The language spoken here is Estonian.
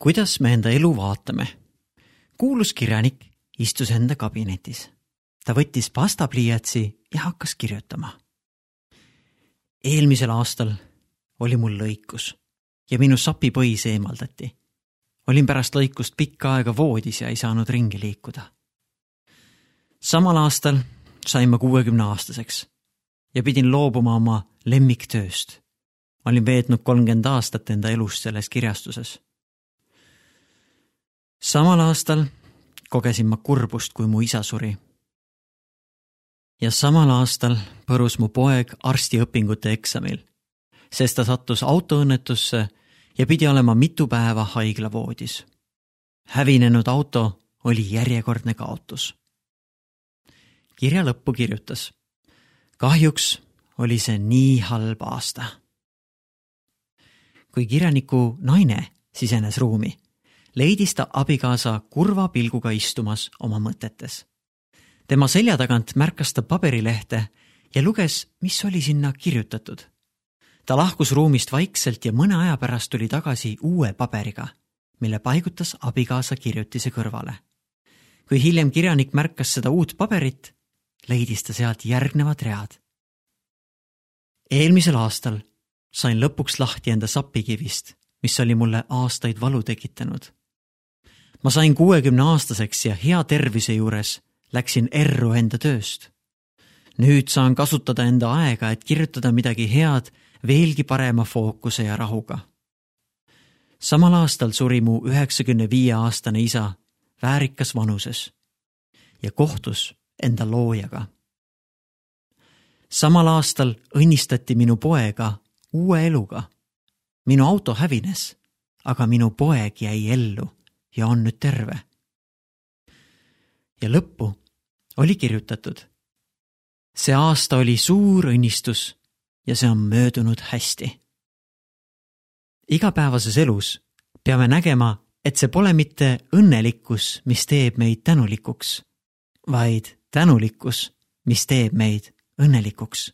kuidas me enda elu vaatame? Kuulus kirjanik istus enda kabinetis. Ta võttis pastapliiatsi ja hakkas kirjutama. Eelmisel aastal oli mul lõikus ja minu sapipõis eemaldati. Olin pärast lõikust pikka aega voodis ja ei saanud ringi liikuda. Samal aastal sain ma 60-aastaseks ja pidin loobuma oma lemmiktööst. Olin veetnud 30 aastat enda elust selles kirjastuses. Samal aastal kogesin ma kurbust, kui mu isa suri. Ja samal aastal põrus mu poeg arstiõpingute eksamil, sest ta sattus autoõnnetusse ja pidi olema mitu päeva haiglavoodis. Hävinenud auto oli järjekordne kaotus. Kirja lõppu kirjutas. Kahjuks oli see nii halb aasta. Kui kirjaniku naine sisenes ruumi, leidis ta abikaasa kurva pilguga istumas oma mõtetes. Tema selja tagant märkas ta paberilehte ja luges, mis oli sinna kirjutatud. Ta lahkus ruumist vaikselt ja mõne aja pärast tuli tagasi uue paberiga, mille paigutas abikaasa kirjutise kõrvale. Kui hiljem kirjanik märkas seda uut paberit, leidis ta sealt järgnevad read. Eelmisel aastal sain lõpuks lahti enda sapikivist, mis oli mulle aastaid valu tekitanud. Ma sain 60-aastaseks ja hea tervise juures läksin erru enda tööst. Nüüd saan kasutada enda aega, et kirjutada midagi head veelgi parema fookuse ja rahuga. Samal aastal suri mu 95-aastane isa väärikas vanuses ja kohtus enda loojaga. Samal aastal õnnistati minu poega uue eluga. Minu auto hävines, aga minu poeg jäi ellu ja on nüüd terve. Ja lõppu oli kirjutatud. See aasta oli suur õnnistus ja see on möödunud hästi. Igapäevases elus peame nägema, et see pole mitte õnnelikkus, mis teeb meid tänulikuks, vaid tänulikkus, mis teeb meid õnnelikuks.